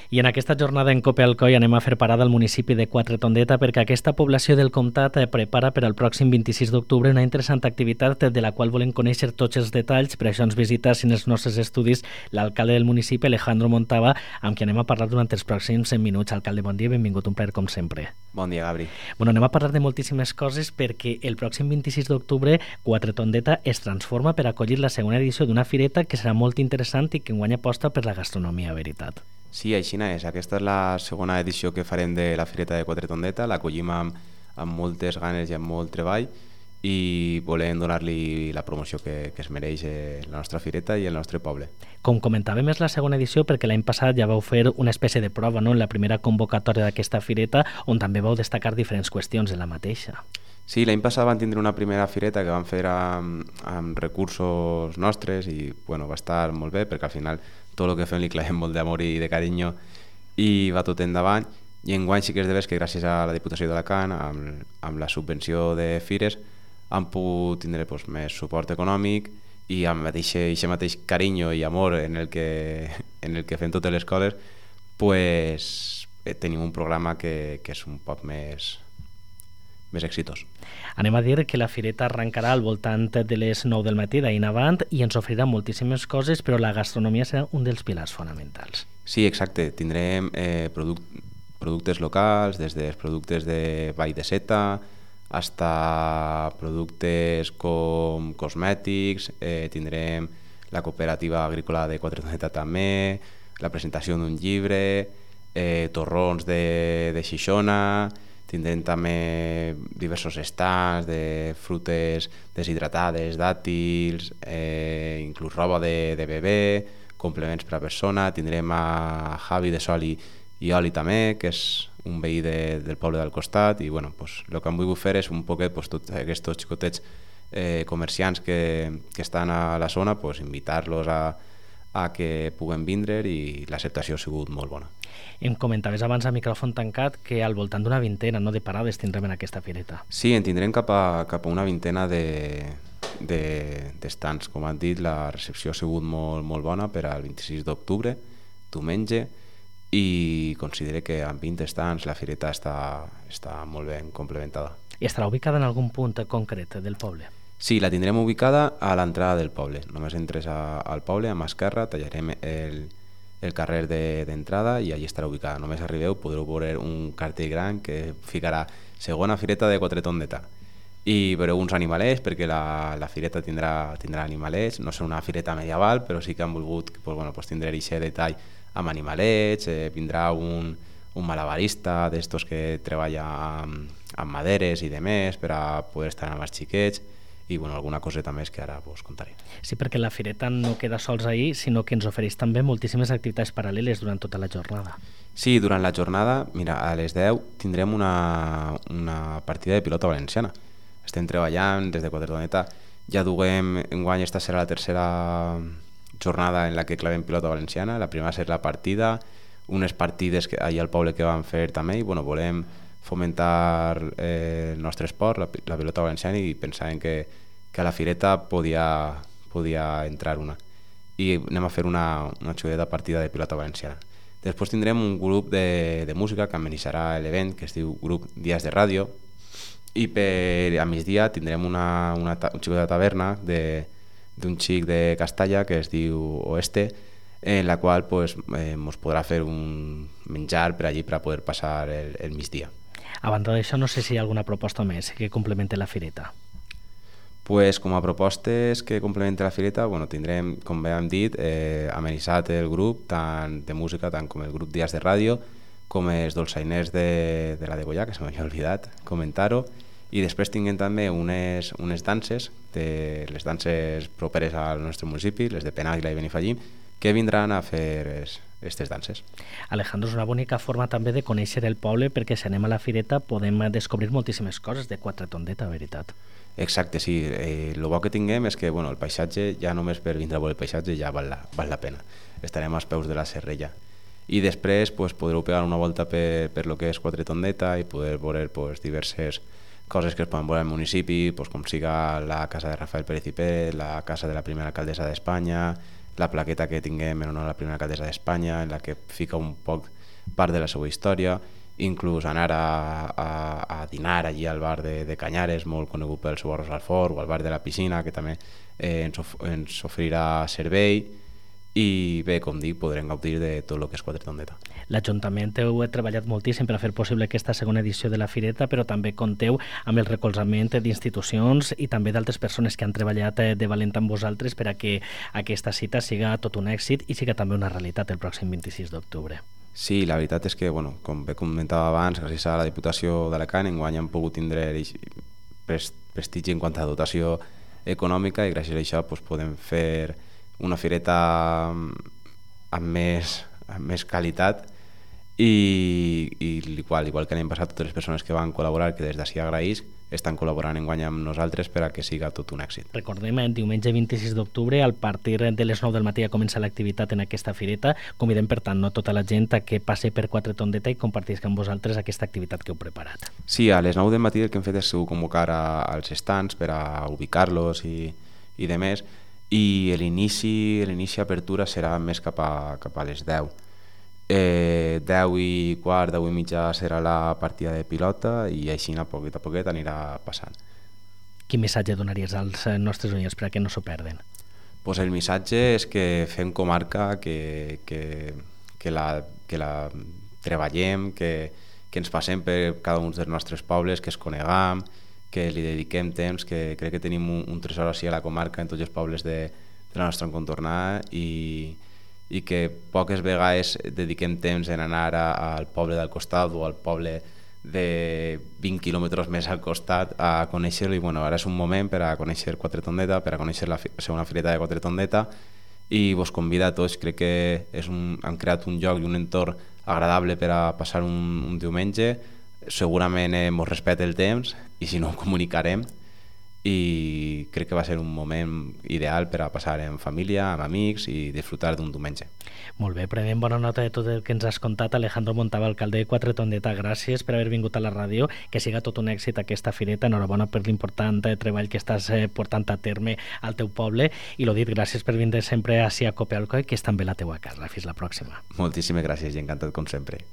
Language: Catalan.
I en aquesta jornada en Cope Alcoi anem a fer parada al municipi de Quatretondeta perquè aquesta població del comtat prepara per al pròxim 26 d'octubre una interessant activitat de la qual volem conèixer tots els detalls. Per això ens visita en els nostres estudis l'alcalde del municipi, Alejandro Montava, amb qui anem a parlar durant els pròxims 100 minuts. Alcalde, bon dia, benvingut, un plaer com sempre. Bon dia, Gabri. Bueno, anem a parlar de moltíssimes coses perquè el pròxim 26 d'octubre Quatretondeta es transforma per acollir la segona edició d'una fireta que serà molt interessant i que enguany aposta per la gastronomia, veritat. Sí, així és. Aquesta és la segona edició que farem de la Fireta de Quatretondeta. L'acollim amb moltes ganes i amb molt treball i volem donar-li la promoció que es mereix la nostra fireta i el nostre poble. Com comentàvem, és la segona edició perquè l'any passat ja vau fer una espècie de prova, no?, en la primera convocatòria d'aquesta fireta, on també vau destacar diferents qüestions de la mateixa. Sí, l'any passat vam tindre una primera fireta que vam fer amb recursos nostres i bueno, va estar molt bé perquè al final tot el que fem li clavem molt d'amor i de carinyo i va tot endavant. I enguany sí que és de veres que gràcies a la Diputació d'Alacant, amb la subvenció de fires, han pogut tindre més suport econòmic i amb aquest mateix carinyo i amor en el que fem totes les coses, tenim un programa que és un poc més exitós. Anem a dir que la fireta arrencarà al voltant de les 9 del matí d'ahir en avant i ens ofrirà moltíssimes coses, però la gastronomia serà un dels pilars fonamentals. Sí, exacte. Tindrem productes locals, des dels productes de Vall de Seta fins a productes com cosmètics, tindrem la cooperativa agrícola de Quatretondeta també, la presentació d'un llibre, torrons de Xixona, tindrem també diversos stands de frutes deshidratades, dàtils, inclús roba de bebè, complements per a persona. Tindrem a Javi de Sol i Oli també, que és un veí del poble del costat, i bueno, el que hem volgut fer és un poquet tots aquests xicotets comerciants que estan a la zona, invitar-los a que puguen vindre, i l'acceptació ha sigut molt bona. Em comentaves abans a micròfon tancat que al voltant d'una vintena de parades tindrem en aquesta fireta. Sí, en tindrem cap a una vintena d'estants. Com han dit, la recepció ha sigut molt bona per al 26 d'octubre, diumenge, i considero que amb 20 estants la fireta està molt ben complementada. I estarà ubicada en algun punt concret del poble? Sí, la tindrem ubicada a l'entrada del poble. Només entres al poble, a mà esquerra, tallarem el carrer d'entrada i allí estarà ubicada. Només arribeu, podreu veure un cartell gran que ficarà segona fireta de Quatretondeta. I veureu uns animalets, perquè la fireta tindrà animalets. No serà una fireta medieval, però sí que han volgut tindre aquest detall amb animalets. Vindrà un malabarista d'estos que treballa amb maderes i demés per a poder estar amb els xiquets, i alguna coseta més que ara contaré. Sí, perquè la fireta no queda sols ahir, sinó que ens ofereix també moltíssimes activitats paral·leles durant tota la jornada. Sí, durant la jornada, mira, a les 10 tindrem una partida de pilota valenciana. Estem treballant des de Quatretondeta, ja duguem, enguany esta serà la tercera jornada en la que clavem pilota valenciana. La primera serà la partida, unes partides allà al poble que vam fer també, i volem fomentar el nostre esport, la pilota valenciana, i pensàvem que a la fireta podia entrar una. I anem a fer una xudeta partida de pilota valenciana. Després tindrem un grup de música que amenitzarà l'event, que es diu Grup Dies de Ràdio, i a migdia tindrem una xic de taverna d'un xic de Castalla que es diu Oeste, en la qual ens podrà fer un menjar per allí per a poder passar el migdia. A banda d'això, no sé si hi ha alguna proposta més que complementi la fireta. Com a propostes que complementi la fireta, tindrem, com bé hem dit, amenitzat el grup tant de música, tant com el grup Dies de Ràdio, com els dolçainers de la Degollà, que se m'havia oblidat comentar-ho, i després tinguem també unes danses, les danses properes al nostre municipi, les de Penàguila i Benifallim, que vindran a fer aquestes danses. Alejandro, és una bonica forma també de conèixer el poble, perquè si anem a la fireta podem descobrir moltíssimes coses de Quatretondeta, veritat. Exacte, sí. El bo que tinguem és que el paisatge, ja només per vindre a veure el paisatge ja val la pena. Estarem als peus de la Serrella. I després podreu pegar una volta per lo que és Quatretondeta i poder veure diverses coses que es poden veure al municipi, com siga la casa de Rafael Pérez i Pérez, la casa de la primera alcaldessa d'Espanya, la plaqueta que tinguem en honor a la primera alcaldessa d'Espanya, en la que fica un poc part de la seva història, inclús anar a dinar allí al bar de Canyares, molt conegut pel seu arròs al forn, o al bar de la piscina, que també ens oferirà servei, i bé, com dic, podrem gaudir de tot el que és Quatretondeta. L'Ajuntament heu treballat moltíssim per a fer possible aquesta segona edició de la Fireta, però també compteu amb el recolzament d'institucions i també d'altres persones que han treballat de valent amb vosaltres per a que aquesta cita siga tot un èxit i siga també una realitat el pròxim 26 d'octubre. Sí, la veritat és que, com bé comentava abans, gràcies a la Diputació d'Alacant enguany hem pogut tindre prestigi en quant a dotació econòmica, i gràcies a això podem fer una fireta amb més qualitat, i igual que l'any passat, totes les persones que van col·laborar, que des d'ací agraïsc, estan col·laborant enguany amb nosaltres per a que siga tot un èxit. Recordem, diumenge 26 d'octubre, a partir de les 9 del matí ja comença l'activitat en aquesta fireta. Convidem, per tant, tota la gent a que passi per Quatretondeta i compartisca amb vosaltres aquesta activitat que heu preparat. Sí, a les 9 del matí el que hem fet és convocar als stands per a ubicar-los i demés, i l'inici apertura serà més cap a les 10. 10 i quart, 10 i mitja serà la partida de pilota, i així a poquet anirà passant. Quin missatge donaries als nostres oients per a que no s'ho perden? Pues el missatge és que fem comarca, que la treballem, que ens passem per cada un dels nostres pobles, que es coneguem, que li dediquem temps, que crec que tenim un tresor així a la comarca, en tots els pobles de la nostra encontornada, i que poques vegades dediquem temps en anar al poble del costat o al poble de 20 quilòmetres més al costat a conèixer-lo, i ara és un moment per a conèixer Quatretondeta, per a conèixer la segona fireta de Quatretondeta, i vos convida a tots. Crec que han creat un lloc i un entorn agradable per a passar un diumenge. Segurament mos respecta el temps, i si no ho comunicarem, i crec que va ser un moment ideal per a passar en família, amb amics, i disfrutar d'un diumenge. Molt bé, prenem bona nota de tot el que ens has contat. Alejandro Montava, alcalde de Quatretondeta, gràcies per haver vingut a la ràdio, que siga tot un èxit aquesta fireta. Enhorabona per l'important treball que estàs portant a terme al teu poble, i lo dit, gràcies per vindre sempre ací a Copealcoy, que és també la teua casa. Fins la pròxima. Moltíssimes gràcies i encantat com sempre.